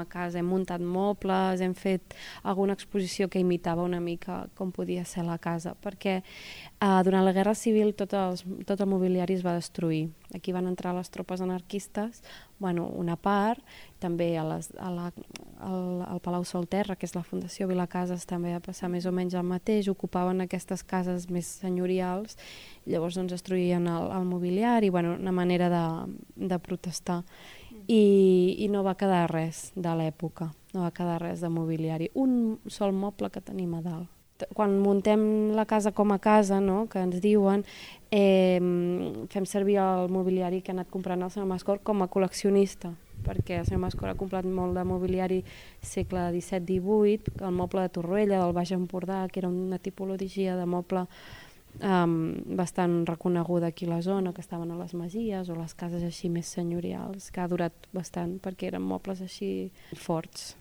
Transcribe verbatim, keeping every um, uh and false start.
A casa hem muntat mobles, hem fet alguna exposició que imitava una mica com podia ser la casa, perquè eh, durant la Guerra Civil tot, els, tot el mobiliari es va destruir. Aquí van entrar les tropes anarquistes, bueno, una part, també a les, a la, al, al Palau Solterra, que és la Fundació Vilacases, també va passar més o menys el mateix, ocupaven aquestes cases més senyorials, llavors doncs destruïen el, el mobiliari, bueno, una manera de, de protestar. I, i no va quedar res de l'època, no va quedar res de mobiliari. Un sol moble que tenim a dalt. Quan muntem la casa com a casa, no?, que ens diuen, eh, fem servir el mobiliari que ha anat comprant el senyor Mascor com a col·leccionista, perquè el senyor Mascor ha comprat molt de mobiliari segle disset divuit, el moble de Torroella, del Baix Empordà, que era una tipologia de moble Um, bastant reconeguda aquí a la zona, que estaven a les masies o les cases així més senyorials, que ha durat bastant perquè eren mobles així forts.